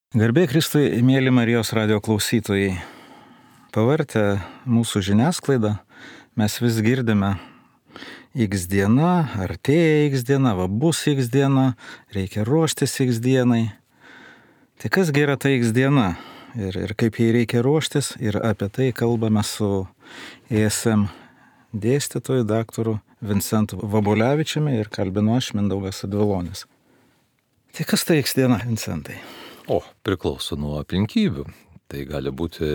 Garbė Kristui, mėly Marijos radio klausytojai. Pavartę mūsų žiniasklaidą, mes vis girdime X diena, artėja X diena, bus X diena, reikia ruoštis X dienai. Tai kasgi yra ta X diena ir kaip jai reikia ruoštis, ir apie tai kalbame su ESM dėstytoju, daktaru Vincentu Vabulevičiumi, ir kalbinu aš, Mindaugas Advilonis. Tai kas ta X diena, Vincentai? Priklauso nuo aplinkybių. Tai gali būti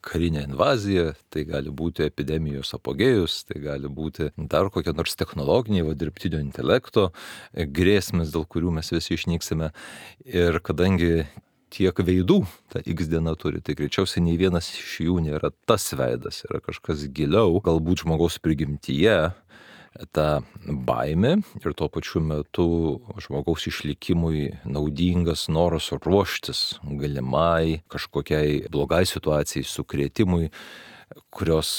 karinė invazija, tai gali būti epidemijos apogėjus, tai gali būti dar kokie nors technologiniai, dirbtinio intelekto grėsmės, dėl kurių mes visi išnyksime. Ir kadangi tiek veidų ta X diena turi, tai greičiausiai nei vienas iš jų nėra tas veidas, yra kažkas giliau, galbūt žmogaus prigimtyje, ta baimė ir tuo pačiu metu žmogaus išlikimui naudingas noras ruoštis galimai kažkokiai blogai situacijai, sukrėtimui, kurios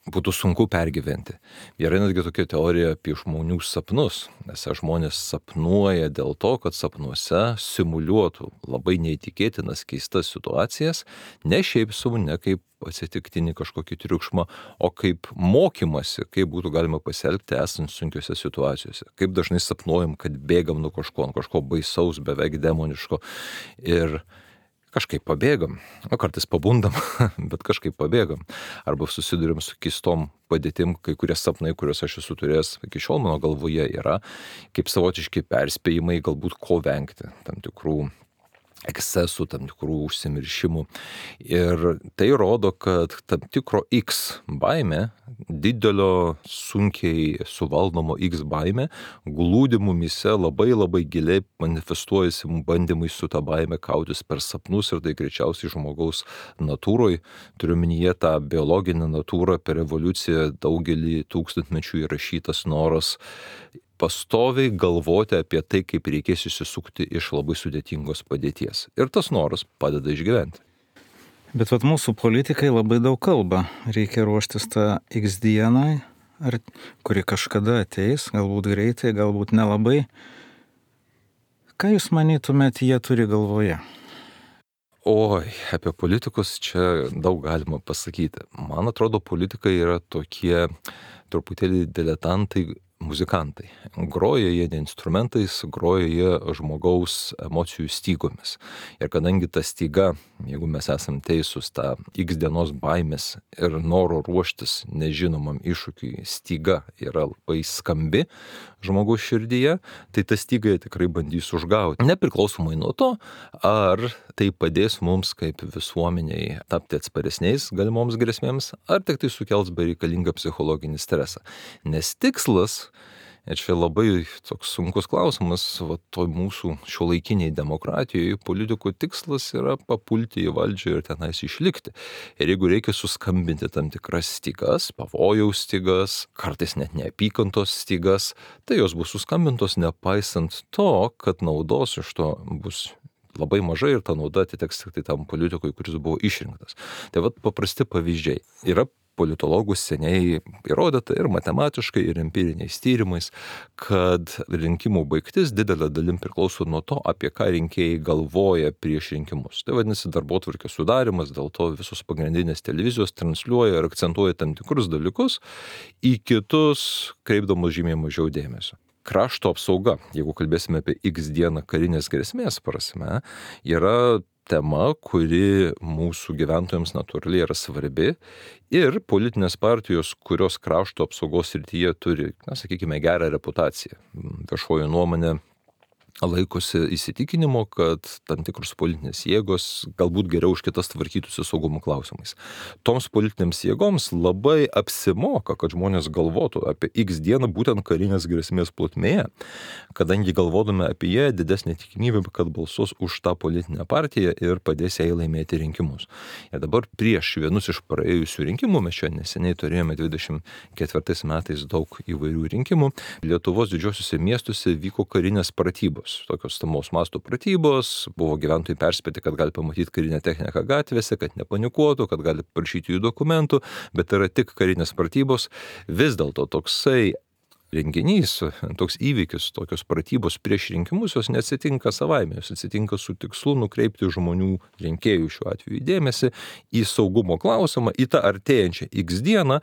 būtų sunku pergyventi. Yra netgi tokia teorija apie žmonių sapnus, nes žmonės sapnuoja dėl to, kad sapnuose simuliuotų labai neįtikėtinas keistas situacijas, ne šiaip sau, ne kaip atsitiktinį kažkokį triukšmą, o kaip mokymasi, kaip būtų galima pasielgti esant sunkiose situacijose. Kaip dažnai sapnuojam, kad bėgam nuo kažko baisaus, beveik demoniško ir kažkaip pabėgam, kartais pabundam, bet kažkaip pabėgam. Arba susiduriam su keistom padėtim, kai kurie sapnai, kuriuos aš esu turėjęs iki šiol mano galvoje, yra kaip savotiški perspėjimai, galbūt ko vengti, tam tikrų ekscesų, tam tikrų užsimiršimų. Ir tai rodo, kad tam tikro X baimė, didelio, sunkiai suvaldomo X baimė, glūdi mumyse labai giliai, manifestuojasi bandymai su ta baime kautis per sapnus, ir tai greičiausiai žmogaus natūroj, turiu minyje tą biologinę natūrą, per evoliuciją daugelį tūkstantmečių įrašytas noras pastoviai galvoti apie tai, kaip reikės išsisukti iš labai sudėtingos padėties. Ir tas noras padeda išgyventi. Bet mūsų politikai labai daug kalba. Reikia ruoštis tą X dienai, kuri kažkada ateis, galbūt greitai, galbūt nelabai. Ką jūs manytumėt, jie turi galvoje? Apie politikus čia daug galima pasakyti. Man atrodo, politikai yra tokie truputėlį diletantai, muzikantai. Groja jie ne instrumentais, groja jie žmogaus emocijų stygomis. Ir kadangi ta styga, jeigu mes esam teisūs, ta X dienos baimės ir noro ruoštis nežinomam iššūkiui styga yra labai skambi žmogaus širdyje, tai ta styga jie tikrai bandys užgauti. Nepriklausomai nuo to, ar tai padės mums kaip visuomeniai tapti atsparesniais galimoms grėsmėms, ar tik tai sukels bereikalingą psichologinį stresą. Nes tikslas, ir čia labai toks sunkus klausimas, toj mūsų šiuolaikiniai demokratijoje politikų tikslas yra papulti į valdžią ir tenais išlikti. Ir jeigu reikia suskambinti tam tikras stygas, pavojaus stygas, kartais net neapykantos stygas, tai jos bus suskambintos nepaisant to, kad naudos iš to bus labai mažai ir ta nauda atiteks tik tai tam politikui, kuris buvo išrinktas. Tai paprasti pavyzdžiai. Yra politologų seniai įrodyta ir matematiškai, ir empiriniais tyrimais, kad rinkimų baigtis didelė dalim priklauso nuo to, apie ką rinkėjai galvoja prieš rinkimus. Tai vadinasi darbotvarkės sudarimas, dėl to visos pagrindinės televizijos transliuoja ir akcentuoja tam tikrus dalykus, į kitus kreipdamos žymiai mažiau dėmesio. Krašto apsauga, jeigu kalbėsime apie X dieną karinės grėsmės prasme, yra tema, kuri mūsų gyventojams natūraliai yra svarbi, ir politinės partijos, kurios krašto apsaugos srityje turi, sakykime, gerą reputaciją. Viešoji nuomonė laikosi įsitikinimo, kad tam tikros politinės jėgos galbūt geriau už kitas tvarkytųsi saugumo klausimais. Toms politinėms jėgoms labai apsimoka, kad žmonės galvotų apie X dieną būtent karinės grėsmės plotmėje, kadangi galvodami apie ją didesnė tikimybė, kad balsuos už tą politinę partiją ir padės jai laimėti rinkimus. Ir dabar prieš vienus iš praėjusių rinkimų, mes čia neseniai turėjome 24 metais daug įvairių rinkimų, Lietuvos didžiosiuose miestuose vyko karinės pratybos. Tokios stamaus masto pratybos, buvo gyventojai perspėti, kad gali pamatyti karinę techniką gatvėse, kad nepanikuotų, kad gali prašyti jų dokumentų, bet yra tik karinės pratybos. Vis dėlto toksai renginys, toks įvykis, tokios pratybos prieš rinkimus, jos neatsitinka savaime, jos atsitinka su tikslu nukreipti žmonių, rinkėjų šiuo atveju dėmesį į saugumo klausimą, į tą artėjančią X dieną,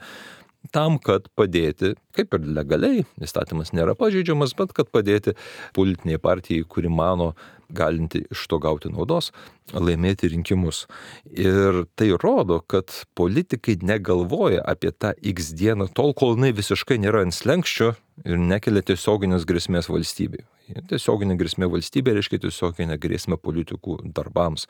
tam, kad padėti, kaip ir legaliai, įstatymas nėra pažeidžiamas, bet kad padėti politiniai partijai, kuri mano galinti iš to gauti naudos, laimėti rinkimus. Ir tai rodo, kad politikai negalvoja apie tą X dieną tol, kol jinai visiškai nėra ant slenkščio ir nekelia tiesioginės grėsmės valstybei. Tiesioginė grėsmė valstybė reiškia tiesioginė grėsmė politikų darbams,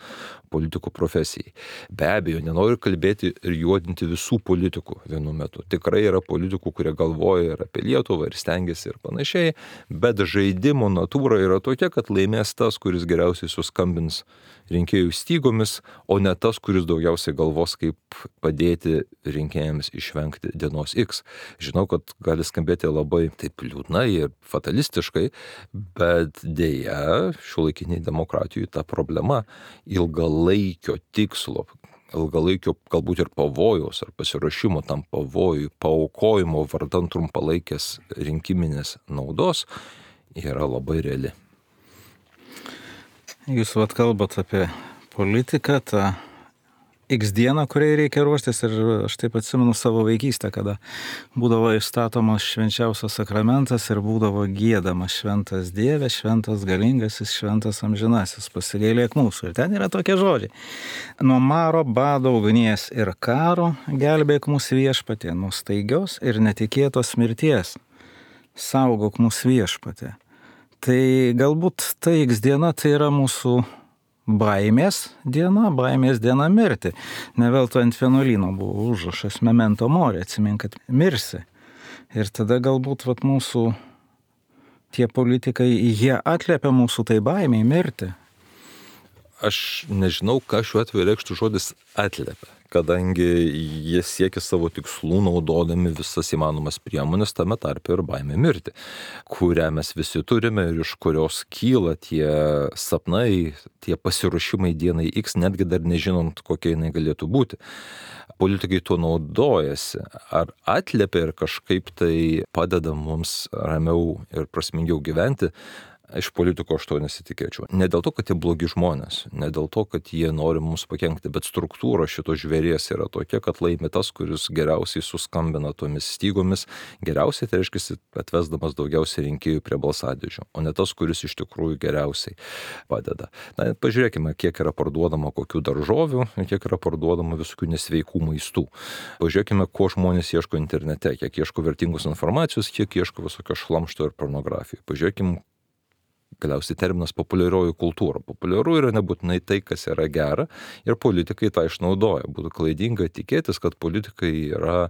politikų profesijai. Be abejo, nenoriu kalbėti ir juodinti visų politikų vienu metu. Tikrai yra politikų, kurie galvoja ir apie Lietuvą ir stengiasi ir panašiai, bet žaidimo natūra yra tokia, kad laimės tas, kuris geriausiai suskambins rinkėjų stygomis, o ne tas, kuris daugiausiai galvos, kaip padėti rinkėjams išvengti dienos X. Žinau, kad gali skambėti labai taip liūdnai ir fatalistiškai, bet dėja, šiuolaikiniai demokratijų ta problema ilgalaikio tikslo, ilgalaikio galbūt ir pavojaus ar pasiruošimo tam pavojui, paaukojimo vardan trumpalaikės rinkiminės naudos yra labai reali. Jūs kalbat apie politiką, tą X dieną, kuriai reikia ruoštis, ir aš taip atsimenu savo vaikystę, kada būdavo įstatomas švenčiausias sakramentas ir būdavo giedamas šventas Dieve, šventas galingasis, šventas amžinasis, pasigailėk mūsų. Ir ten yra tokie žodžiai. Nuo maro, bado, ugnies ir karo gelbėk mūsų viešpatie, nuo staigios ir netikėtos mirties. Saugok mūsų viešpatie. Tai galbūt ta X diena tai yra mūsų baimės diena mirti. Ne veltui ant vienuolyno buvo užrašas memento mori, atsimink, kad mirsi. Ir tada galbūt mūsų tie politikai, jie atliepia mūsų tai baimiai mirti. Aš nežinau, ką šiuo atveju reikštų žodis atliepia, kadangi jie siekia savo tikslų naudodami visas įmanomas priemonės, tame tarpe ir baimė mirti, kurią mes visi turime ir iš kurios kyla tie sapnai, tie pasiruošimai dienai X, netgi dar nežinant, kokia jinai galėtų būti. Politikai tuo naudojasi, ar atliepia ir kažkaip tai padeda mums ramiau ir prasmingiau gyventi. Iš politiko aš to nesitikėčiau. Ne dėl to, kad jie blogi žmonės, ne dėl to, kad jie nori mums pakenkti, bet struktūra šito žvėries yra tokia, kad laimi tas, kuris geriausiai suskambina tomis stygomis, geriausiai tai reiškia atvesdamas daugiausiai rinkėjų prie balsadėžių, o ne tas, kuris iš tikrųjų geriausiai padeda. Na, pažiūrėkime, kiek yra parduodama kokių daržovių, kiek yra parduodama visokių nesveikų maistų. Pažiūrėkime, ko žmonės ieško internete, kiek ieško vertingos informacijos, kiek ieško visokio šlamšto ir pornografijų. Pažiūrėkime, galiausiai terminas populiarioji kultūra. Populiaru yra nebūtinai tai, kas yra gera, ir politikai tą išnaudoja. Būtų klaidinga tikėtis, kad politikai yra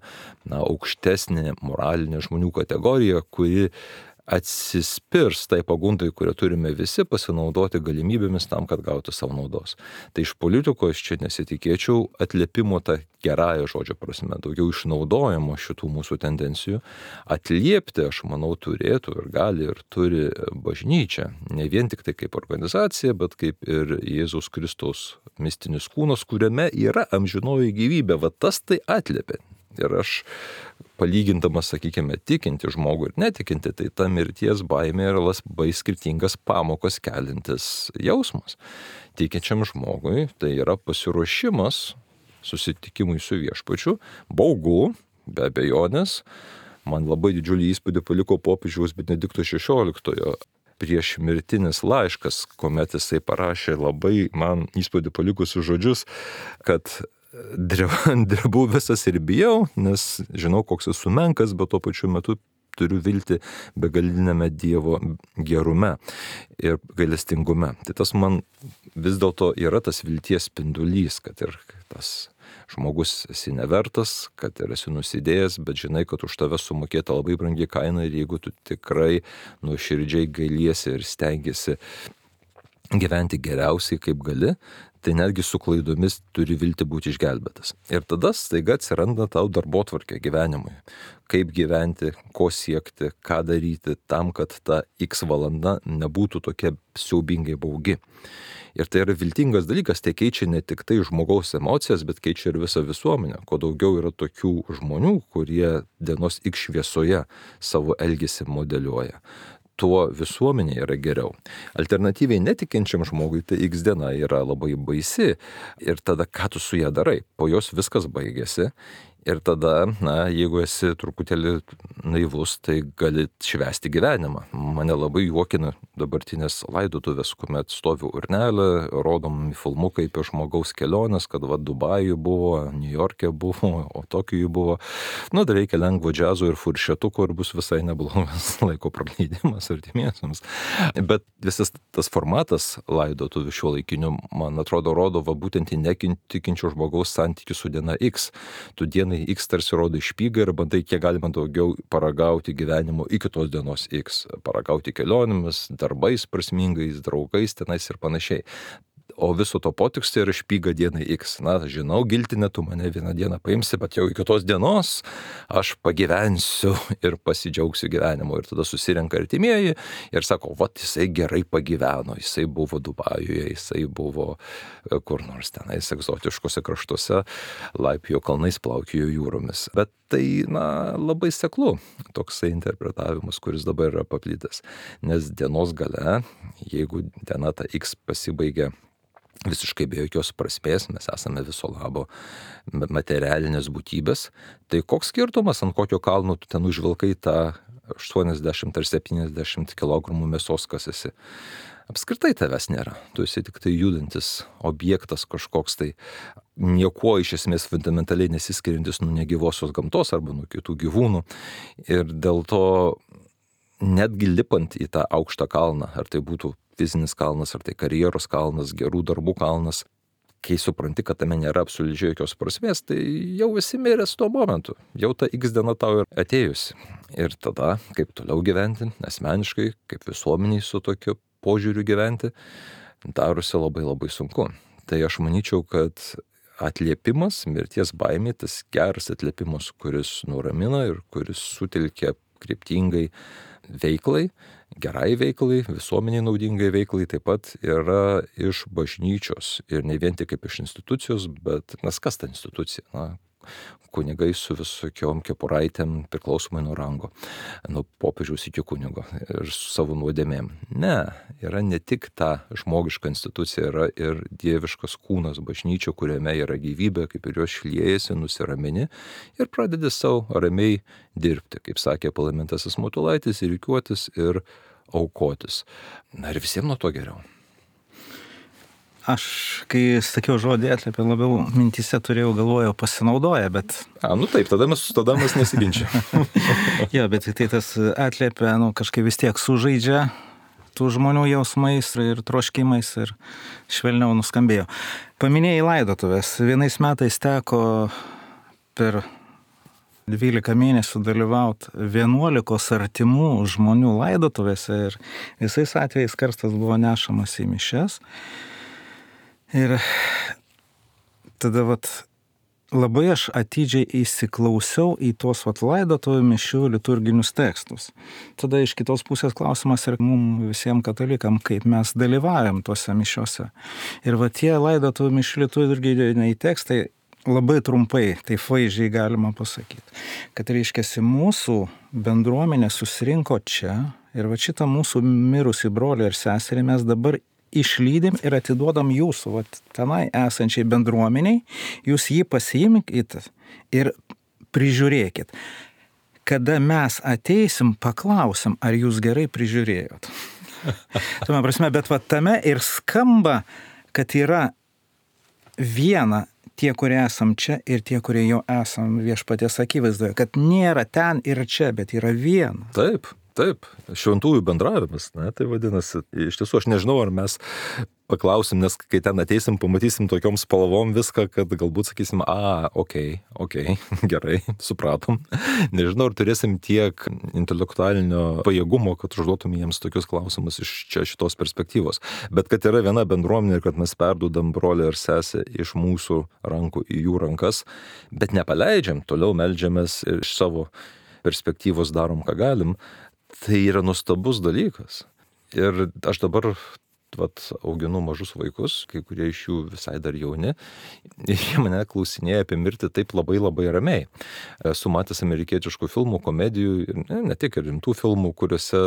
aukštesnė moralinė žmonių kategorija, kuri atsispirs tai pagundai, kurią turime visi, pasinaudoti galimybėmis tam, kad gauti savo naudos. Tai iš politikos čia nesitikėčiau atliepimo tą gerąją žodžio prasme, daugiau išnaudojimo šitų mūsų tendencijų. Atliepti, aš manau, turėtų ir gali ir turi bažnyčia. Ne vien tik tai kaip organizacija, bet kaip ir Jėzaus Kristaus mistinis kūnas, kuriame yra amžinoji gyvybė. Va tas tai atliepia. Ir aš palygindamas, sakykime, tikinti žmogų ir netikinti, tai ta mirties baimė yra labai skirtingas pamokas kelintis jausmas. Tikinčiam žmogui tai yra pasiruošimas susitikimui su viešpačiu, baugu, be abejonės. Man labai didžiulį įspūdį paliko popiežiaus Benedikto XVI prieš mirtinis laiškas, kuomet jisai parašė labai man įspūdį palikusius žodžius, kad drebu visas ir bijau, nes žinau, koks esu menkas, bet tuo pačiu metu turiu viltį begalinėme Dievo gerume ir gailestingume. Tai tas man vis dėlto yra tas vilties spindulys, kad ir tas žmogus esi nevertas, kad ir esi nusidėjęs, bet žinai, kad už tave sumokėta labai brangi kaina, ir jeigu tu tikrai nuoširdžiai gailiesi ir stengiasi gyventi geriausiai kaip gali, tai netgi su klaidomis turi vilti būti išgelbėtas. Ir tada staiga atsiranda tau darbotvarkė gyvenimui. Kaip gyventi, ko siekti, ką daryti tam, kad ta X valanda nebūtų tokia siaubingai baugi. Ir tai yra viltingas dalykas, tai keičia ne tik tai žmogaus emocijas, bet keičia ir visą visuomenę. Kuo daugiau yra tokių žmonių, kurie dienos X šviesoje savo elgesį modeliuoja, tuo visuomenė yra geriau. Alternatyviai netikinčiam žmogui tai X diena yra labai baisi ir tada ką tu su ją darai? Po jos viskas baigėsi ir tada, jeigu esi truputėlį naivus, tai gali švęsti gyvenimą. Mane labai juokina dabartinės laidotuvės, kuomet stovi urnelė, rodomi filmukai apie žmogaus keliones, kad Dubajuje buvo, Niujorke buvo, o Tokijuje buvo. Dar reikia lengvo džiazo ir furšetuko ir bus visai neblogas laiko praleidimas artimiesiams. Bet visas tas formatas laidotuvių šiuolaikinių, man atrodo, rodo būtent į netikinčio žmogaus santykių su diena X. Tu dienai X tarsi rodo špygą ir bandai kiek galima daugiau paragauti gyvenimo iki tos dienos X. Paragauti kelionėmis, darbais prasmingais, draugais tenais ir panašiai. O viso to potekstė yra špyga dienai X. Žinau, giltinė, tu mane vieną dieną paimsi, bet jau iki tos dienos aš pagyvensiu ir pasidžiaugsiu gyvenimu. Ir tada susirenka artimieji ir sako, jisai gerai pagyveno, jisai buvo Dubajuje, jisai buvo kur nors tenais egzotiškose kraštuose, laipiojo kalnais, plaukiojo jūromis. Bet tai, labai seklu toksai interpretavimas, kuris dabar yra paplitęs. Nes dienos gale, jeigu diena ta X pasibaigia visiškai be jokios prasmės, mes esame viso labo materialinės būtybės, tai koks skirtumas, ant kokio kalno tu ten užvilkai tą 80 ar 70 kg mėsos, kas esi. Apskritai tavęs nėra, tu esi tik tai judantis objektas kažkoks tai, niekuo iš esmės fundamentaliai nesiskiriantis nuo negyvosios gamtos arba nuo kitų gyvūnų. Ir dėl to netgi lipant į tą aukštą kalną, ar tai būtų fizinis kalnas, ar tai karjeros kalnas, gerų darbų kalnas, kai supranti, kad tame nėra absoliučiai jokios prasmės, tai jau esi miręs tuo momentu, jau ta X diena tau yra atėjusi. Ir tada, kaip toliau gyventi, asmeniškai, kaip visuomeniai su tokiu požiūriu gyventi, darosi labai labai sunku. Tai aš manyčiau, kad atliepimas, mirties baimė, tas geras atliepimas, kuris nuramina ir kuris sutelkia kryptingai veiklai, gerai veiklai, visuomeniai naudingai veiklai, taip pat yra iš bažnyčios ir ne vien tik kaip iš institucijos, bet kas ta institucija? Kunigai su visokiom kepuraitėm priklausomai nuo rango, nuo popiežiaus iki kunigo ir su savo nuodėmėm. Ne, yra ne tik ta žmogiška institucija, yra ir dieviškas kūnas bažnyčio, kuriame yra gyvybė, kaip ir jos šliejasi, nusiramini ir pradedi savo ramiai dirbti, kaip sakė Palaimintasis Matulaitis, ir rikiuotis ir aukotis. Ir visiems nuo to geriau. Aš, kai sakiau žodį atliepė, labiau mintise turėjau, galvojau, pasinaudoja, bet... Taip, tada mes nesiginčiam. Jo, bet tai tas atliepė, kažkaip vis tiek sužaidžia tų žmonių jausmais ir troškimais ir švelniau nuskambėjo. Paminėjai laidotuvės. Vienais metais teko per 12 mėnesių dalyvauti 11 artimų žmonių laidotuvėse ir visais atvejais karstas buvo nešamas į mišias. Ir tada labai aš atidžiai įsiklausiau į tuos laidotuvių mišių liturginius tekstus. Tada iš kitos pusės klausimas ir mums visiems katalikam, kaip mes dalyvaujam tuose mišiuose. Ir tie laidotuvių mišių liturginiai tekstai labai trumpai, taip vaizdžiai galima pasakyti, kad reiškiasi mūsų bendruomenė susirinko čia ir šitą mūsų mirusį brolį ir seserį mes dabar išlydim ir atiduodam jūsų tenai esančiai bendruomeniai, jūs jį pasiimkit ir prižiūrėkit. Kada mes ateisim, paklausim, ar jūs gerai prižiūrėjot. Tuo prasme, bet tame ir skamba, kad yra viena tie, kurie esam čia ir tie, kurie jau esam Viešpaties akivaizdoje, kad nėra ten ir čia, bet yra viena. Taip, šventųjų bendravimas, tai vadinasi, iš tiesų aš nežinau, ar mes paklausim, nes kai ten ateisim, pamatysim tokiom spalvom viską, kad galbūt sakysim, okei, gerai, supratom. Nežinau, ar turėsim tiek intelektualinio pajėgumo, kad užduotum jiems tokius klausimus iš čia šitos perspektyvos. Bet kad yra viena bendruomenė ir kad mes perdudam brolį ir sesę iš mūsų rankų į jų rankas, bet nepaleidžiam, toliau meldžiamės ir iš savo perspektyvos darom, ką galim, tai yra nuostabus dalykas. Ir aš dabar auginu mažus vaikus, kai kurie iš jų visai dar jauni, ir jie mane klausinėja apie mirtį taip labai labai ramiai. Esu matęs amerikietiškų filmų, komedijų, ne tik ir rimtų filmų, kuriuose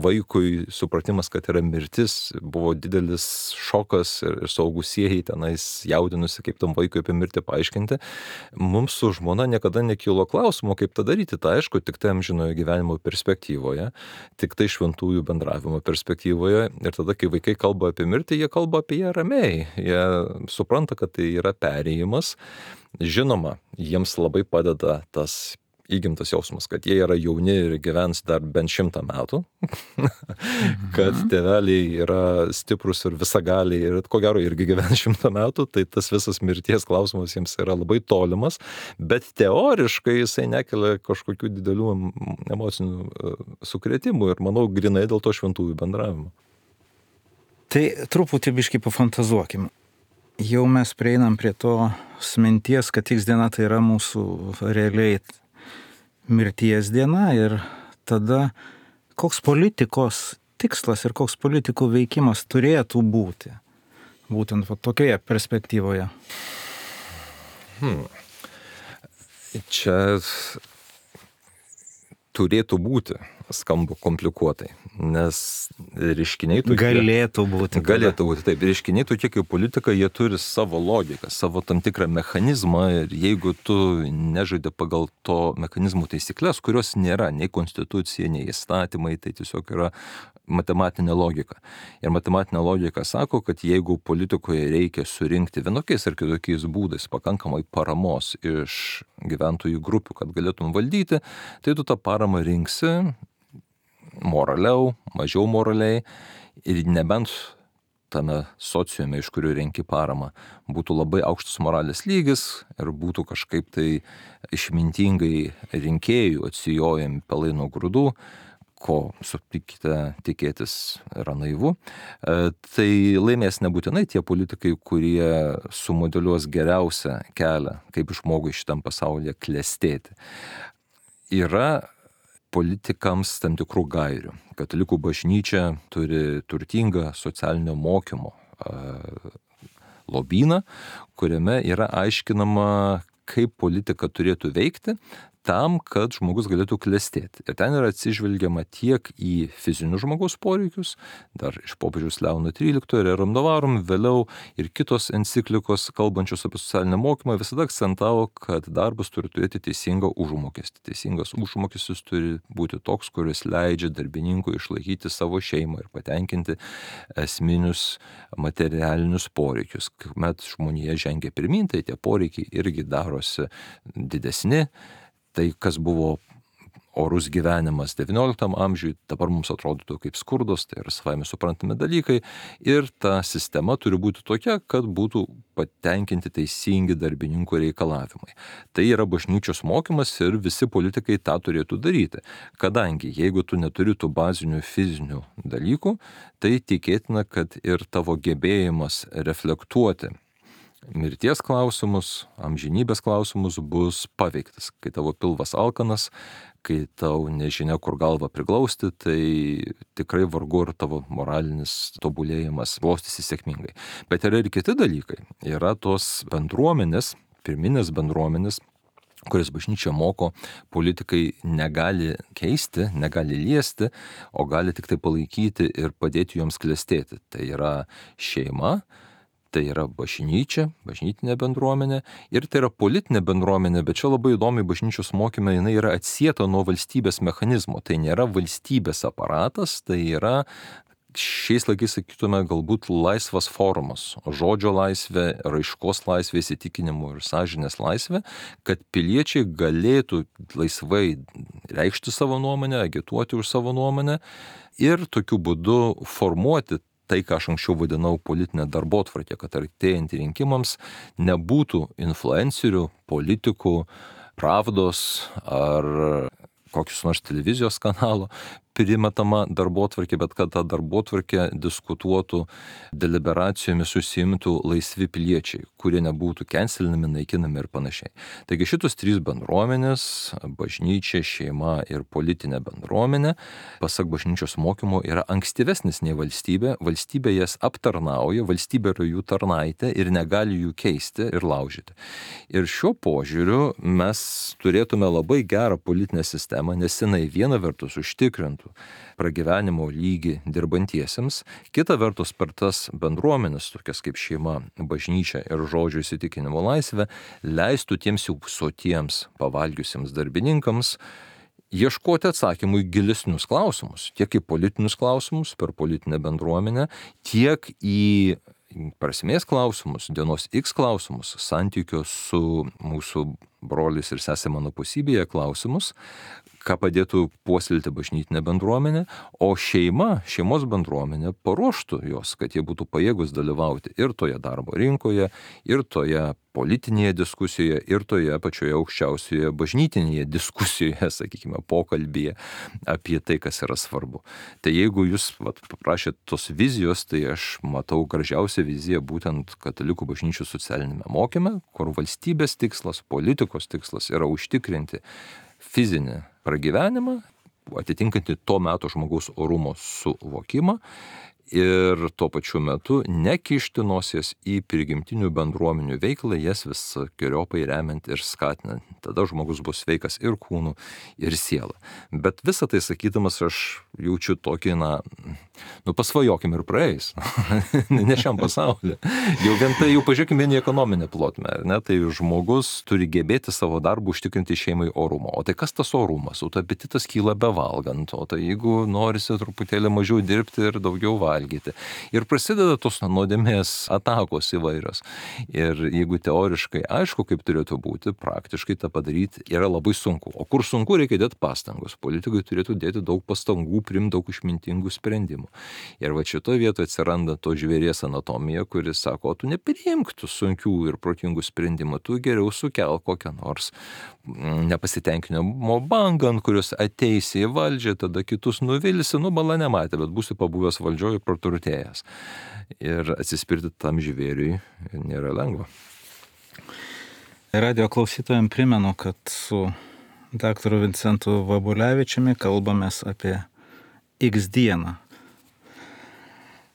vaikui supratimas, kad yra mirtis, buvo didelis šokas ir suaugusieji tenais jaudinusi, kaip tam vaikui apie mirtį paaiškinti. Mums su žmona niekada nekilo klausimo, kaip tą daryti. Tai aišku, tik tai amžinojo gyvenimo perspektyvoje, tik tai šventųjų bendravimo perspektyvoje. Ir tada, kai vaikai kalba apie mirtį, jie kalba apie ją ramiai. Jie supranta, kad tai yra perėjimas. Žinoma, jiems labai padeda tas įgimtas jausmas, kad jie yra jauni ir gyvens dar bent 100 metų, kad tėveliai yra stiprus ir visagaliai ir ko gero irgi gyvens 100 metų, tai tas visas mirties klausimas jiems yra labai tolimas, bet teoriškai jisai nekelia kažkokių didelių emocinių sukrėtimų ir manau grinai dėl to šventųjų bendravimo. Tai truputį biškį pafantazuokim. Jau mes prieinam prie to minties, kad X diena tai yra mūsų realiai mirties diena ir tada koks politikos tikslas ir koks politikų veikimas turėtų būti būtent tokioje perspektyvoje. Čia turėtų būti, skamba komplikuotai, nes reiškiniai tokie... Galėtų būti, taip. Reiškiniai tokie kaip politika, jie turi savo logiką, savo tam tikrą mechanizmą ir jeigu tu nežaidi pagal to mechanizmų taisyklės, kurios nėra nei konstitucija, nei įstatymai, tai tiesiog yra matematinė logika. Ir matematinė logika sako, kad jeigu politikoje reikia surinkti vienokiais ar kitokiais būdais pakankamai paramos iš gyventojų grupių, kad galėtum valdyti, tai tu tą paramą rinksi moraliau, mažiau moraliai ir nebent tame sociume, iš kurių renki paramą, būtų labai aukštas moralės lygis ir būtų kažkaip tai išmintingai rinkėjų atsijojami pelai nuo grūdų, ko sutikite tikėtis yra naivu, tai laimės nebūtinai tie politikai, kurie sumodeliuos geriausią kelią, kaip žmogui šitam pasaulyje klestėti. Yra politikams tam tikrų gairių. Katalikų bažnyčia turi turtingą socialinio mokymo lobyną, kuriame yra aiškinama, kaip politika turėtų veikti tam, kad žmogus galėtų klestėti. Ir ten yra atsižvelgiama tiek į fizinius žmogaus poreikius, dar iš popiežiaus Leono XIII ir Rerum Novarum, vėliau ir kitos enciklikos, kalbančios apie socialinę mokymą, visada akcentavo, kad darbas turi turėti teisingą užmokestį. Teisingas užmokestis turi būti toks, kuris leidžia darbininkui išlaikyti savo šeimą ir patenkinti esminius materialinius poreikius. Kuomet žmonija žengia pirmyn, tai tie poreikiai irgi darosi didesni. Tai, kas buvo orus gyvenimas XIX amžiui, dabar mums atrodytų kaip skurdas, tai yra savaime suprantami dalykai. Ir ta sistema turi būti tokia, kad būtų patenkinti teisingi darbininkų reikalavimai. Tai yra bažnyčios mokymas ir visi politikai tą turėtų daryti. Kadangi, jeigu tu neturi tų bazinių fizinių dalykų, tai tikėtina, kad ir tavo gebėjimas reflektuoti mirties klausimus, amžinybės klausimus bus paveiktas. Kai tavo pilvas alkanas, kai tau nežinia, kur galvą priglausti, tai tikrai vargu ir tavo moralinis tobulėjimas klostysi sėkmingai. Bet yra ir kiti dalykai. Yra tos bendruomenės, pirminės bendruomenės, kurias bažnyčia moko, politikai negali keisti, negali liesti, o gali tik tai palaikyti ir padėti joms klestėti. Tai yra šeima, tai yra bažnyčia, bažnytinė bendruomenė ir tai yra politinė bendruomenė, bet čia labai įdomiai bažnyčios mokyme jinai yra atsieta nuo valstybės mechanizmo. Tai nėra valstybės aparatas, tai yra šiais laikais sakytume galbūt laisvas forumas, žodžio laisvė, raiškos laisvė, įsitikinimų ir sąžinės laisvė, kad piliečiai galėtų laisvai reikšti savo nuomonę, agituoti už savo nuomonę ir tokiu būdu formuoti tai, ką aš anksčiau vadinau politinė darbotvarkė, kad artėjant rinkimams nebūtų influencerių, politikų, Pravdos ar kokius nors televizijos kanalo primetama darbotvarkė, bet kad ta darbotvarkė diskutuotų, deliberacijomis užsiimtų laisvi piliečiai, kurie nebūtų cancelinami, naikinami ir panašiai. Taigi šitos trys bendruomenės - bažnyčia, šeima ir politinė bendruomenė - pasak bažnyčios mokymo yra ankstyvesnis nei valstybė. Valstybė jas aptarnauja, valstybė yra jų tarnaitė ir negali jų keisti ir laužyti. Ir šiuo požiūriu mes turėtume labai gerą politinę sistemą, nes jinai viena vertus užtikrintų pragyvenimo lygį dirbantiesiems, kita vertus per tas bendruomenės, tokias kaip šeima, bažnyčia ir žodžio įsitikinimo laisvė, leistų tiems jau sotiems pavalgiusiems darbininkams ieškoti atsakymų į gilesnius klausimus, tiek į politinius klausimus per politinę bendruomenę, tiek į prasmės klausimus, dienos X klausimus, santykio su mūsų broliais ir sesė mano pusybėje klausimus, ką padėtų puoselėti bažnytinė bendruomenė, o šeimos bendruomenė paruoštų jos, kad jie būtų pajėgus dalyvauti ir toje darbo rinkoje, ir toje politinėje diskusijoje, ir toje pačioje aukščiausioje bažnytinėje diskusijoje, sakykime, pokalbyje apie tai, kas yra svarbu. Tai jeigu jūs paprašėt tos vizijos, tai aš matau gražiausią viziją būtent katalikų bažnyčios socialinėme mokyme, kur valstybės tikslas, politikos tikslas yra užtikrinti fizinį pragyvenimą, atitinkantį to meto žmogaus orumo suvokimą ir tuo pačiu metu nekišti nosies į prigimtinių bendruomenių veiklą, jas visokiojopai remiant ir skatinant. Tada žmogus bus sveikas ir kūnu, ir siela. Bet visą tai sakydamas aš jaučiu tokį, pasvajokim ir praeis. Ne šiam pasaulyje. Jau vien tai, jau pažiūrėkime vien į ekonominę plotmę. Tai žmogus turi gebėti savo darbą užtikrinti šeimai orumo. O tai kas tas orumas? O tai apetitas kyla bevalgant. O tai jeigu norisi truputėlį mažiau dirbti ir daugiau valgyti. Ir prasideda tos nuodėmės atakos įvairios. Ir jeigu teoriškai aišku, kaip turėtų būti, praktiškai tą padaryti yra labai sunku. O kur sunku, reikia dėti pastangos. Politikai turėtų dėti daug pastangų, priimti daug išmintingų sprendimų. Ir va šitoje vietoje atsiranda to žvėries anatomija, kuris sako, tu nepriimk tų sunkių ir protingų sprendimų, tu geriau sukelk kokią nors nepasitenkinimo bangą, ant kurios ateisi į valdžią, tada kitus nuvilsi, bala nematė, bet būsi pabuvęs valdžioje praturtėjęs. Ir atsispirti tam žvėriui nėra lengva. Radio klausytojams primenu, kad su daktaru Vincentu Vabulevičiumi kalbamės apie X dieną.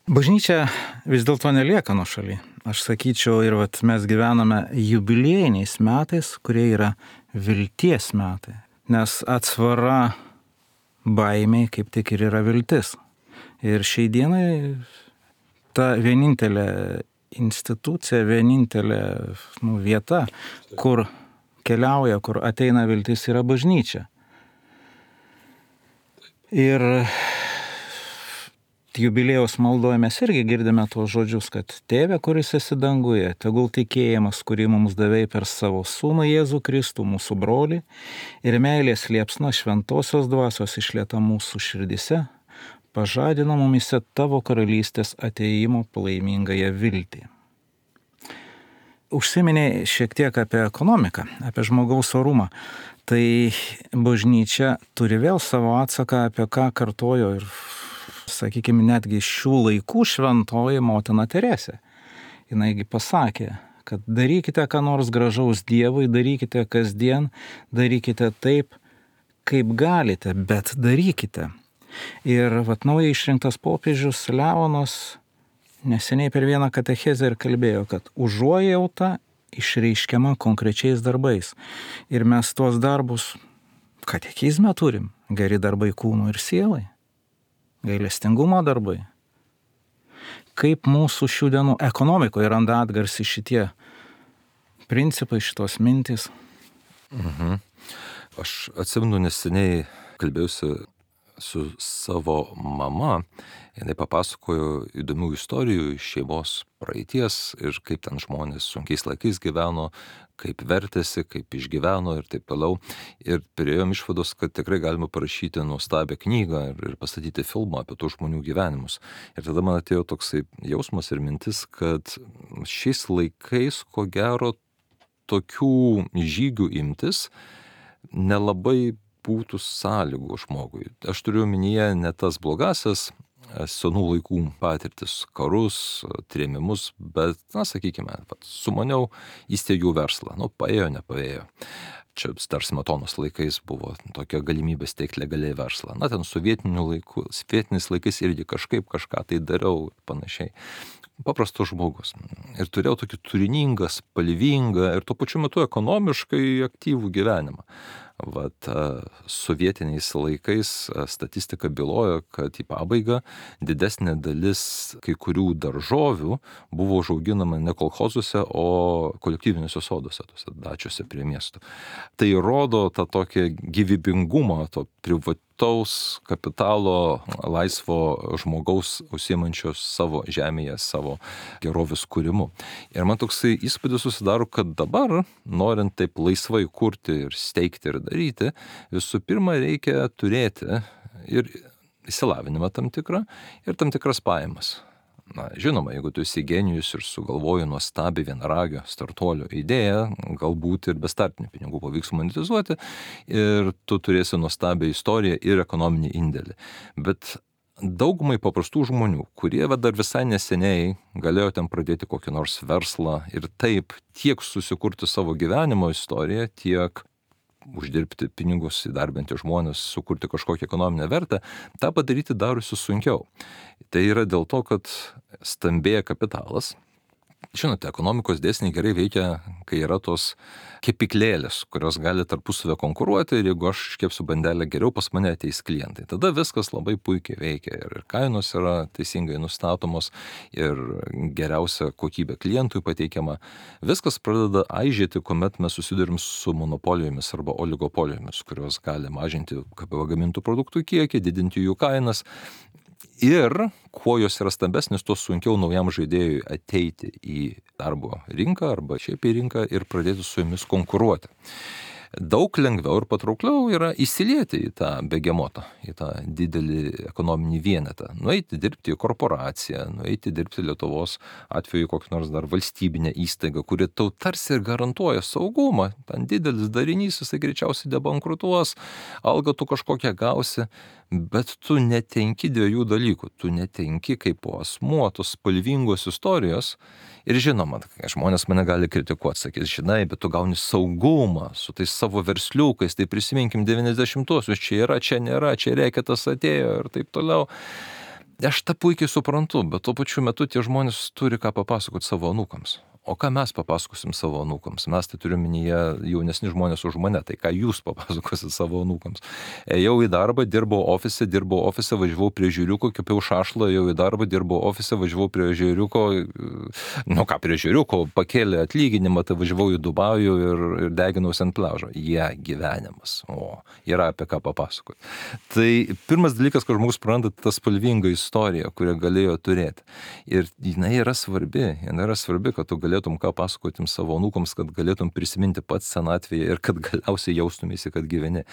Bažnyčia vis dėlto nelieka nuošaly. Aš sakyčiau, ir mes gyvename jubiliejiniais metais, kurie yra vilties metai. Nes atsvara baimiai kaip tik ir yra viltis. Ir šiai dienai ta vienintelė institucija, vienintelė vieta, kur keliauja, kur ateina viltis, yra bažnyčia. Ir jubiliejaus maldoje mes irgi girdime tuos žodžius, kad Tėve, kuris esi danguje, tegul tikėjimas, kurį mums davei per savo sūnų Jėzų Kristų, mūsų brolį, ir meilės liepsna šventosios dvasios išlieta mūsų širdise, pažadina mumise tavo karalystės ateimo palaimingąją viltį. Užsiminė šiek tiek apie ekonomiką, apie žmogaus orumą. Tai bažnyčia turi vėl savo atsaką, apie ką kartojo ir, sakykime, netgi šių laikų šventoji motina Teresė. Jinaigi pasakė, kad darykite ką nors gražaus Dievui, darykite kasdien, darykite taip, kaip galite, bet darykite. Ir naujai išrinktas popiežius Leonas neseniai per vieną katechezę ir kalbėjo, kad užuojauta išreiškiama konkrečiais darbais. Ir mes tuos darbus katekizme turim. Geri darbai kūnui ir sielai. Gailestingumo darbai. Kaip mūsų šių dienų ekonomikoje randa atgarsį šitie principai, šitos mintys? Aš atsimenu neseniai kalbėjausi su savo mama, jinai papasakojo įdomių istorijų iš šeimos praeities ir kaip ten žmonės sunkiais laikais gyveno, kaip vertėsi, kaip išgyveno ir taip toliau. Ir priėjom išvados, kad tikrai galima parašyti nuostabią knygą ir pastatyti filmą apie tų žmonių gyvenimus. Ir tada man atėjo toksai jausmas ir mintis, kad šiais laikais, ko gero, tokių žygių imtis nelabai būtų sąlygų žmogui. Aš turiu omenyje ne tas blogasias senų laikų patirtis, karus, trėmimus, bet, sakykime, sumaniau, įsteigiau verslą. Paėjo, nepaėjo. Čia dar Smetonos laikais buvo tokia galimybė steigti legaliai verslą. Ten sovietiniais laikais irgi kažką tai dariau panašiai. Paprastas žmogus. Ir turėjau tokį turiningą, spalvingą ir tuo pačiu metu ekonomiškai aktyvų gyvenimą. Sovietiniais laikais statistika bylojo, kad į pabaigą didesnė dalis kai kurių daržovių buvo užauginama ne kolchozuose, o kolektyviniuose soduose, tose dačiuose prie miestų. Tai rodo tą tokį gyvybingumą, to privataus kapitalo, laisvo žmogaus užsiimančios savo žemėje, savo gerovės kūrimu. Ir man toksai įspūdis susidaro, kad dabar, norint taip laisvai kurti ir steigti ir daryti, visų pirma reikia turėti ir išsilavinimą tam tikrą ir tam tikras pajamas. Žinoma, jeigu tu esi genijus ir sugalvoji nuostabiai vienaragio startuolio idėją, galbūt ir be startinių pinigų pavyks monetizuoti ir tu turėsi nuostabią istoriją ir ekonominį indėlį. Bet daugumai paprastų žmonių, kurie dar visai neseniai galėjo ten pradėti kokį nors verslą ir taip tiek susikurti savo gyvenimo istoriją, tiek uždirbti pinigus, įdarbinti žmonės, sukurti kažkokią ekonominę vertę, tą padaryti darosi sunkiau. Tai yra dėl to, kad stambėja kapitalas. Žinote, ekonomikos dėsniai gerai veikia, kai yra tos kepyklėlės, kurios gali tarpusavę konkuruoti ir jeigu aš iškepsiu bandelę geriau, pas mane ateis klientai. Tada viskas labai puikiai veikia ir kainos yra teisingai nustatomos ir geriausia kokybė klientui pateikiama. Viskas pradeda aižėti, kuomet mes susidurim su monopolijomis arba oligopolijomis, kurios gali mažinti pagamintų produktų kiekį, didinti jų kainas. Ir kuo jos yra stambesnis, tuo sunkiau naujam žaidėjui ateiti į darbo rinką arba šiaip į rinką ir pradėti su jomis konkuruoti. Daug lengviau ir patraukliau yra įsilieti į tą begemotą, į tą didelį ekonominį vienetą. Nueiti dirbti į korporaciją, nueiti dirbti Lietuvos atveju kokią nors dar valstybinę įstaigą, kuri tau tarsi ir garantuoja saugumą. Ten didelis darinys, jisai greičiausiai debankrutuos, algą tu kažkokią gausi, bet tu netenki dviejų dalykų. Tu netenki kaip asmuo tos spalvingos istorijos. Ir žinoma, žmonės mane gali kritikuoti, sakys, žinai, bet tu gauni saugumą su tais savo versliukais, tai prisiminkim 90-uosius, čia yra, čia nėra, čia reketas atėjo ir taip toliau. Aš tą puikiai suprantu, bet tuo pačiu metu tie žmonės turi ką papasakoti savo anūkams. O ką mes papasakosim savo anūkams? Mes tai turiu minyje jaunesni žmonės už mane, tai ką jūs papasakosit savo anūkams? Ėjau į darbą, dirbau ofise, važiavau prie žiūriuko, kepiau šašlą, ėjau į darbą, dirbau ofise, važiavau prie žiūriuko, prie žiūriuko, pakėlė atlyginimą, tai važiavau į Dubajų ir deginausi ant pliažo. Gyvenimas. Yra apie ką papasakoti. Tai pirmas dalykas, kad žmogus praranda tą spalvingą istoriją, kurią galėjo turėti. Ir jinai yra svarbi, kad tu galėtum ką pasakotim savo anūkoms, kad galėtum prisiminti pats senatvėje ir kad galiausiai jaustumėsi, kad gyveni.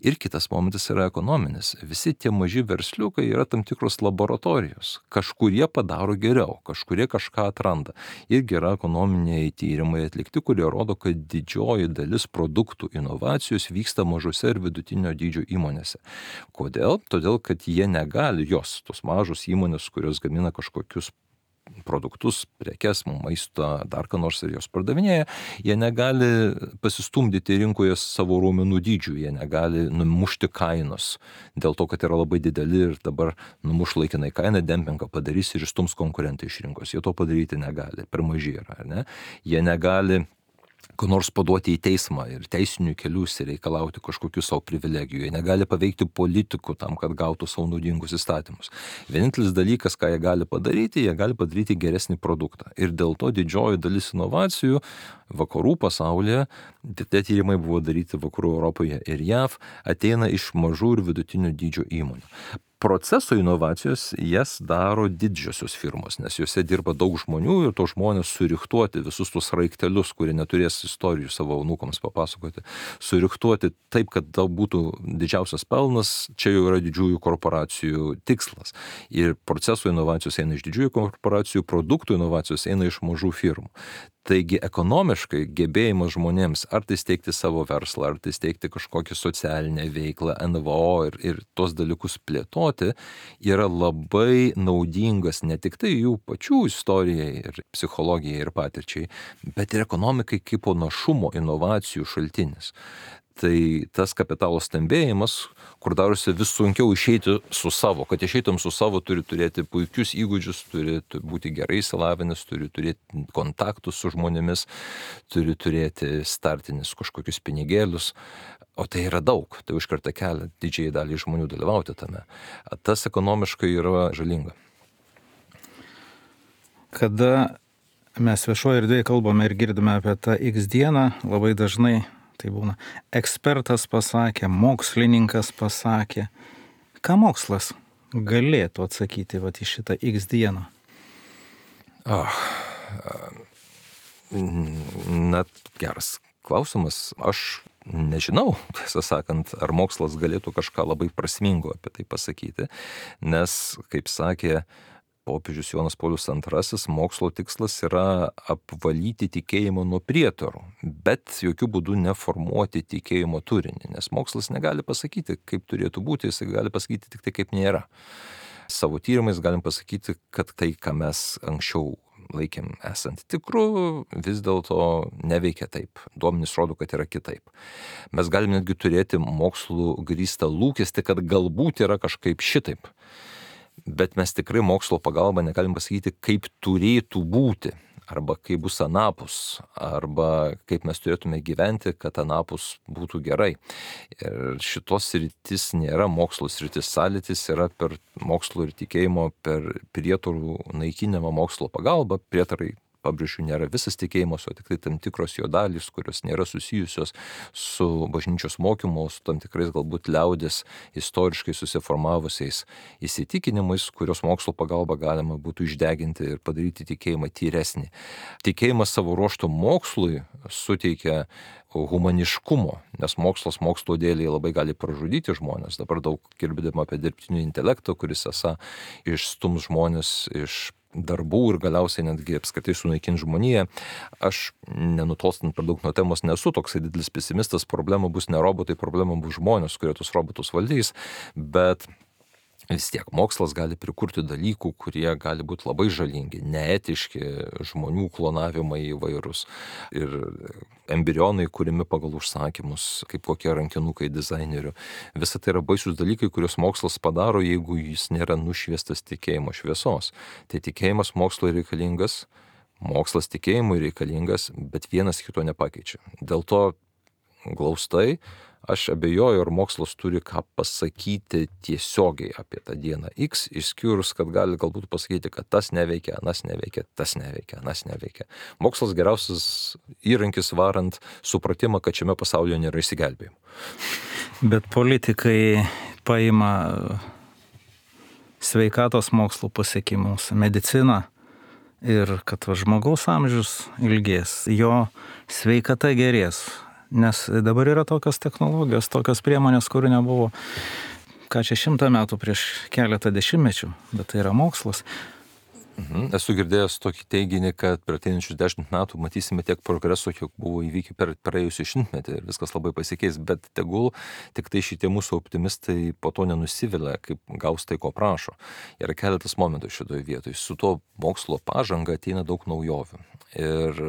Ir kitas momentas yra ekonominis. Visi tie maži versliukai yra tam tikros laboratorijos. Kažkurie padaro geriau, kažkurie kažką atranda. Irgi yra ekonominiai tyrimai atlikti, kurie rodo, kad didžioji dalis produktų inovacijos vyksta mažose ir vidutinio dydžio įmonėse. Kodėl? Todėl, kad jie negali, tos mažos įmonės, kurios gamina kažkokius produktus, prekes, maistą, dar ką nors ir jos pardavinėja, jie negali pasistumdyti rinkoje savo raumenų dydžių, jie negali numušti kainos dėl to, kad yra labai dideli ir dabar numuš laikinai kainą, dempingą padarys ir išstums konkurentai iš rinkos. Jie to padaryti negali, per maži yra, ar ne? Jie negali ko nors paduoti į teismą ir teisinių kelių reikalauti kažkokių savo privilegijų. Jie negali paveikti politikų tam, kad gautų savo naudingus įstatymus. Vienintelis dalykas, ką jie gali padaryti geresnį produktą. Ir dėl to didžioji dalis inovacijų vakarų pasaulyje, tie tyrimai buvo daryti vakarų Europoje ir JAV, ateina iš mažų ir vidutinių dydžio įmonių. Proceso inovacijos jas daro didžiosios firmos, nes juose dirba daug žmonių ir to žmonės suriktuoti visus tus raiktelius, kurie neturės istorijų savo anūkams papasakoti, suriktuoti taip, kad būtų didžiausias pelnas, čia jau yra didžiųjų korporacijų tikslas. Ir proceso inovacijos eina iš didžiųjų korporacijų, produktų inovacijos eina iš mažų firmų. Taigi ekonomiškai gebėjimas žmonėms ar tai steigti savo verslą, ar tai steigti kažkokią socialinę veiklą, NVO ir tos dalykus plėtoti yra labai naudingas ne tik tai jų pačių istorijai ir psichologijai ir patirčiai, bet ir ekonomikai kaip našumo inovacijų šaltinis. Tai tas kapitalo stambėjimas, kur darosi vis sunkiau išeiti su savo, kad išeitum su savo, turi turėti puikius įgūdžius, turi būti gerai išsilavinęs, turi turėti kontaktus su žmonėmis, turi turėti startinius kažkokius pinigėlius, o tai yra daug, tai užkerta kelią didžiai dalį žmonių dalyvauti tame. Tas ekonomiškai yra žalinga. Kada mes viešoje erdvėje kalbame ir girdime apie tą X dieną, labai dažnai tai būna ekspertas pasakė, mokslininkas pasakė. Ką mokslas galėtų atsakyti į šitą X dieną? Na, geras klausimas. Aš nežinau, tiesą sakant, ar mokslas galėtų kažką labai prasmingo apie tai pasakyti, nes, kaip sakė popiežius Jonas Paulius II, mokslo tikslas yra apvalyti tikėjimą nuo prietarų, bet jokių būdų neformuoti tikėjimo turinį, nes mokslas negali pasakyti, kaip turėtų būti, jis gali pasakyti tik tai, kaip nėra. Savo tyrimais galim pasakyti, kad tai, ką mes anksčiau laikėm esant tikru, vis dėlto neveikia taip. Duomenys rodo, kad yra kitaip. Mes galim netgi turėti mokslų grįstą lūkestį, kad galbūt yra kažkaip šitaip. Bet mes tikrai mokslo pagalba negalim pasakyti, kaip turėtų būti, arba kaip bus anapus, arba kaip mes turėtume gyventi, kad anapus būtų gerai. Ir šitos sritis nėra mokslo sritis, sąlytis yra per mokslo ir tikėjimo, per prietarų naikinimą mokslo pagalba. Prietarai, pabrėžiu, nėra visas tikėjimas, o tik tai tam tikros jo dalys, kurios nėra susijusios su bažnyčios mokymu, su tam tikrais galbūt liaudės istoriškai susiformavusiais įsitikinimais, kurios mokslo pagalba galima būtų išdeginti ir padaryti tikėjimą tyresnį. Tikėjimas savo ruožtu mokslui suteikia humaniškumo, nes mokslas mokslo dėliai labai gali pražudyti žmonės. Dabar daug girdima apie dirbtinį intelektą, kuris esą išstums žmonės iš darbų ir galiausiai netgi apskritai sunaikins žmoniją. Aš, nenutolstant per daug nuo temos, nesu toksai didelis pesimistas, problema bus ne robotai, problema bus žmonės, kurie tus robotus valdys, bet vis tiek mokslas gali prikurti dalykų, kurie gali būti labai žalingi, neetiški, žmonių klonavimai įvairūs ir embrionai kūrimi pagal užsakymus, kaip kokie rankinukai dizainerių. Visa tai yra baisus dalykai, kuriuos mokslas padaro, jeigu jis nėra nušviestas tikėjimo šviesos. Tai tikėjimas mokslo reikalingas, mokslas tikėjimui reikalingas, bet vienas kito nepakeičia. Dėl to glaustai aš abejoju, ar mokslas turi ką pasakyti tiesiogiai apie tą dieną X, išskyrus, kad gali galbūt pasakyti, kad tas neveikia, anas neveikia, tas neveikia, anas neveikia. Mokslas geriausias įrankis varant supratimą, kad šiame pasaulyje nėra išsigelbėjimo. Bet politikai paima sveikatos mokslų pasiekimus, mediciną ir kad žmogaus amžius ilgės, jo sveikata gerės. Nes dabar yra tokios technologijos, tokios priemonės, kurių nebuvo, 100 metų prieš keletą dešimtmečių, bet tai yra mokslas. Esu girdėjęs tokį teiginį, kad per ateinančius 10 metų matysime tiek progreso, kiek buvo įvykę per praėjusį šimtmetį ir viskas labai pasikeis, bet tegul tik tai šitie mūsų optimistai po to nenusivilia, kaip gaus tai, ko prašo. Yra keletas momentų šitoje vietoje. Su to mokslo pažanga ateina daug naujovių. Ir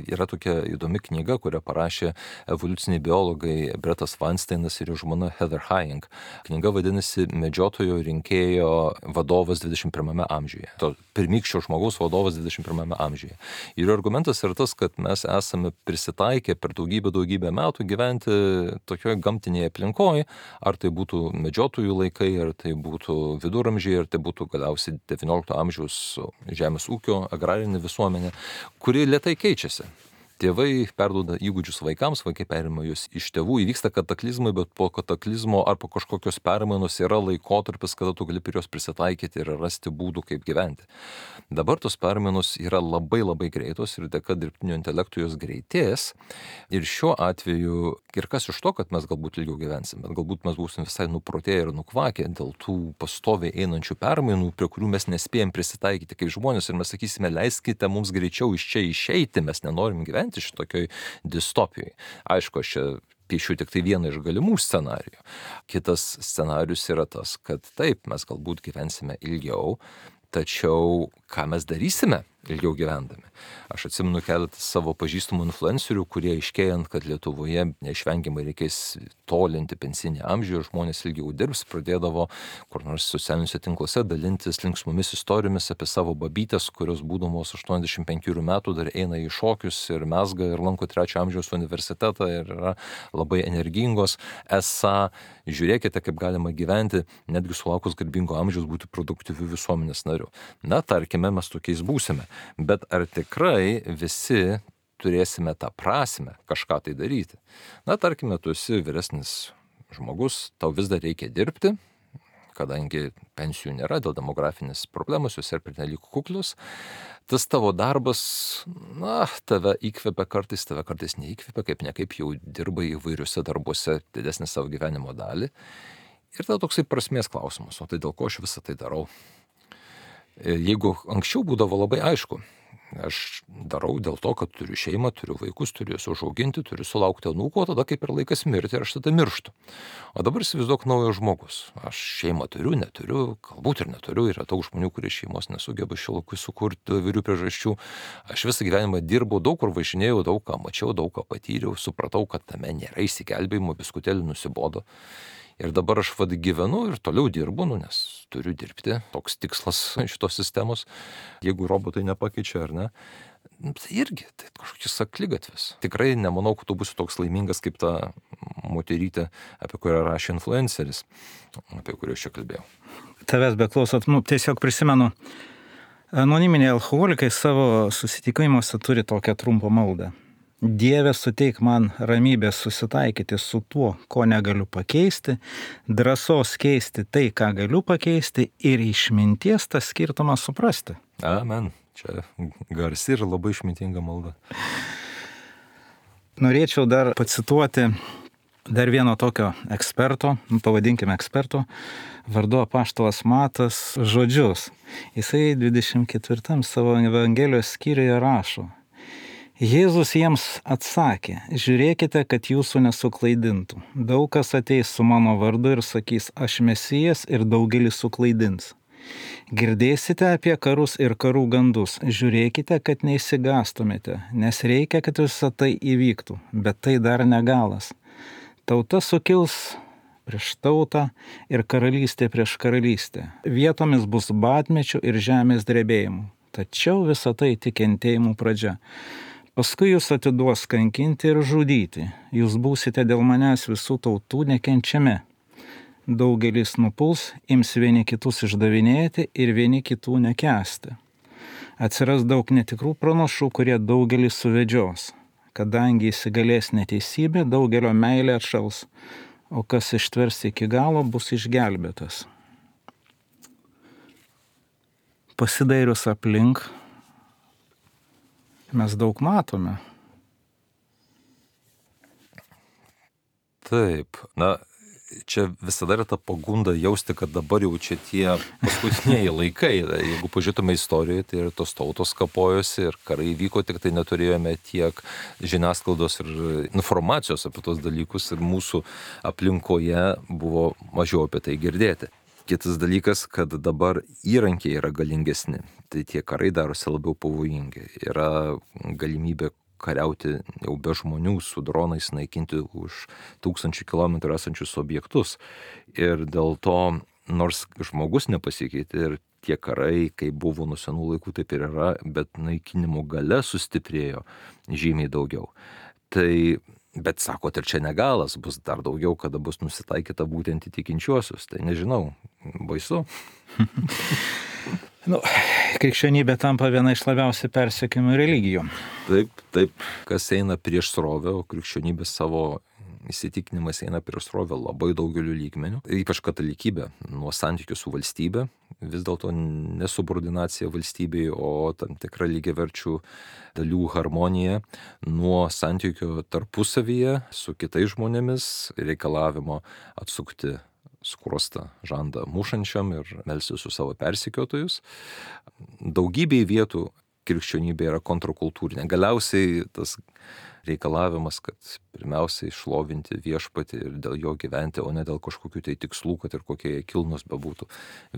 yra tokia įdomi knyga, kurią parašė evoliuciniai biologai Bretas Weinsteinas ir jo žmona Heather Heying. Knyga vadinasi Medžiotojo rinkėjo vadovas 21 amžiuje. pirmykščio žmogaus vadovas 21 amžiuje. Ir argumentas yra tas, kad mes esame prisitaikę per daugybę metų gyventi tokioje gamtinėje aplinkoje, ar tai būtų medžiotojų laikai, ar tai būtų viduramžiai, ar tai būtų galiausiai 19 amžiaus žemės ūkio agrarinė visuomenė, kuri lėtai keičiasi. Tėvai perduoda įgūdžius vaikams, vaikai perima juos iš tėvų, įvyksta kataklizmai, bet po kataklizmo ar po kažkokios permainos yra laikotarpis, kada tu gali prie jos prisitaikyti ir rasti būdų, kaip gyventi. Dabar tos permainos yra labai greitos ir dėka dirbtinio intelekto jos greitės. Ir šiuo atveju, ir kas iš to, kad mes galbūt ilgiau gyvensim, bet galbūt mes būsim visai nuprotėję ir nukvakę dėl tų pastoviai einančių permainų, prie kurių mes nespėjom prisitaikyti kaip žmonės ir mes sakysime, leiskite mums greičiau iš čia išeiti, mes nenorim gyventi šitokioj distopijoj. Aišku, aš čia piešiu tik tai vieną iš galimų scenarijų. Kitas scenarius yra tas, kad taip, mes galbūt gyvensime ilgiau, tačiau ką mes darysime ilgiau gyvendami? Aš atsimenu keletą savo pažįstamų influencerių, kurie aiškėjant, kad Lietuvoje neišvengiamai reikės tolinti pensinį amžių ir žmonės ilgiau dirbs, pradėdavo kur nors socialiniuose tinkluose dalintis linksmomis istorijomis apie savo babytės, kurios būdamos 85 metų dar eina į šokius ir mezga ir lanko 3 amžiaus universitetą ir yra labai energingos. Esą, žiūrėkite, kaip galima gyventi, netgi sulaukus garbingo amžiaus būti produktyviu visuomenės nariu. Na, tarkime, mes tokiais būsime. Bet ar tikrai visi turėsime tą prasmę kažką tai daryti? Na, tarkime, tu esi vyresnis žmogus, tau vis dar reikia dirbti, kadangi pensijų nėra dėl demografinės problemos, jos yra pernelyg kuklius. Tas tavo darbas, na, tave įkvepia kartais, tave kartais neįkvepia, kaip ne kaip jau dirbai įvairiuose darbuose didesnį savo gyvenimo dalį. Ir tada toksai prasmės klausimas, o tai dėl ko aš visą tai darau? Jeigu anksčiau būdavo labai aišku, aš darau dėl to, kad turiu šeimą, turiu vaikus, turiu juos užauginti, turiu sulaukti anūko, o tada kaip ir laikas mirti ir aš tada mirštu. O dabar įsivaizduok naujas žmogus. Aš šeimą turiu, neturiu, galbūt ir neturiu, yra daug žmonių, kurie šeimos nesugeba šilokui sukurti įvairių priežasčių. Aš visą gyvenimą dirbau, daug kur važinėjau, daug ką mačiau, daug ką patyriau, supratau, kad tame nėra išsigelbėjimo, biskutėlį nusibodo. Ir dabar aš gyvenu ir toliau dirbu, nes turiu dirbti, toks tikslas šitos sistemos, jeigu robotai nepakeičia ar ne. Tai irgi, tai kažkokius akligatvis. Tikrai nemanau, kad tu būsi toks laimingas kaip ta moterytė, apie kurią rašė influenceris, apie kurią aš čia kalbėjau. Tavęs beklausot, tiesiog prisimenu, anoniminiai alkoholikai savo susitikimuose turi tokią trumpą maldą. Dieve, suteik man ramybės susitaikyti su tuo, ko negaliu pakeisti, drąsos keisti tai, ką galiu pakeisti ir išminties tą skirtumą suprasti. Amen. Čia garsi ir labai išmintinga malda. Norėčiau dar pacituoti dar vieno tokio eksperto, pavadinkime eksperto, vardu apaštalas Matas žodžius. Jisai 24 savo Evangelijos skyriuje rašo: Jėzus jiems atsakė, žiūrėkite, kad jūsų nesuklaidintų. Daug kas ateis su mano vardu ir sakys, aš Mesijas, ir daugelį suklaidins. Girdėsite apie karus ir karų gandus, žiūrėkite, kad neišsigąstumėte, nes reikia, kad visą tai įvyktų, bet tai dar negalas. Tauta sukils prieš tautą ir karalystė prieš karalystę. Vietomis bus badmečių ir žemės drebėjimų, tačiau visą tai tik kentėjimų pradžia. Paskui jūs atiduos kankinti ir žudyti. Jūs būsite dėl manęs visų tautų nekenčiami. Daugelis nupuls, ims vieni kitus išdavinėti ir vieni kitų nekęsti. Atsiras daug netikrų pranašų, kurie daugelį suvedžios. Kadangi įsigalės neteisybė, daugelio meilė atšals, o kas ištvers iki galo, bus išgelbėtas. Pasidairius aplink, mes daug matome. Taip, na, čia visada yra ta pagunda jausti, kad dabar jau čia tie paskutiniai laikai. Jeigu pažiūrėtume istorijoje, tai ir tos tautos kapojosi ir karai vyko, tik tai neturėjome tiek žiniasklaidos ir informacijos apie tos dalykus ir mūsų aplinkoje buvo mažiau apie tai girdėti. Kitas dalykas, kad dabar įrankiai yra galingesni, tai tie karai darosi labiau pavojingi. Yra galimybė kariauti jau be žmonių, su dronais naikinti už 1000 kilometrų esančius objektus. Ir dėl to, nors žmogus nepasikeitė ir tie karai, kaip buvo nuo senų laikų, taip ir yra, bet naikinimo gale sustiprėjo žymiai daugiau. Tai, bet sakot, ir čia negalas, bus dar daugiau, kada bus nusitaikyta būtent į tikinčiuosius. Tai nežinau, baisu. Krikščionybė tampa viena iš labiausiai persekiojamų religijų. Taip, kas eina prieš srovę, o krikščionybė savo įsitikinimas eina prieš srovę labai daugeliu lygmenių, ypač katalikybė, nuo santykių su valstybe, vis dėlto nesubordinacija valstybei, o tam tikra lygiaverčių dalių harmonija, nuo santykių tarpusavyje su kitais žmonėmis, reikalavimo atsukti skruostą žandą mušančiam ir melstis su savo persekiotojus. Daugybėj vietų krikščionybė yra kontrakultūrinė. Galiausiai tas reikalavimas, kad pirmiausiai šlovinti viešpatį ir dėl jo gyventi, o ne dėl kažkokių tai tikslų, kad ir kokie jie kilnus bebūtų.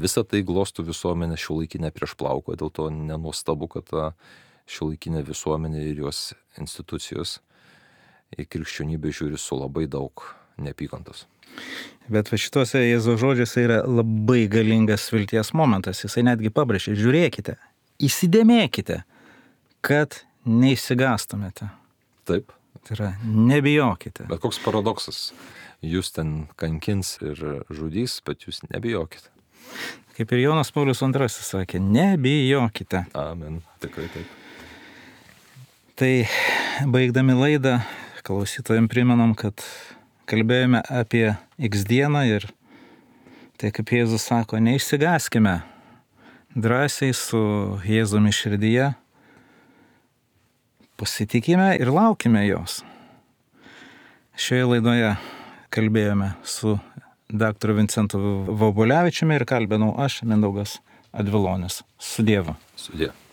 Visa tai glostų visuomenę šiuolaikinę prieš plauką, dėl to nenuostabu, kad ta šiuolaikinė visuomenė ir jos institucijos į krikščionybę žiūri su labai daug neapykantos. Bet va šituose Jėzaus žodžiuose yra labai galingas vilties momentas. Jisai netgi pabrėžia, žiūrėkite, įsidėmėkite, kad neišsigastumėte. Taip. Tai yra, nebijokite. Bet koks paradoksas. Jūs ten kankins ir žudys, bet jūs nebijokite. Kaip ir Jonas Paulius II sakė, nebijokite. Amen. Tikrai taip. Tai baigdami laidą, klausytojams primenam, kad kalbėjome apie X dieną ir tai, kaip Jėzus sako, neišsigaskime. Drąsiai su Jėzumi širdyje pasitikime ir laukime jos. Šioje laidoje kalbėjome su dr. Vincentu Vobulevičiumi ir kalbinau aš, Mindaugas Advilonis. Su Dievu. Su Dievu.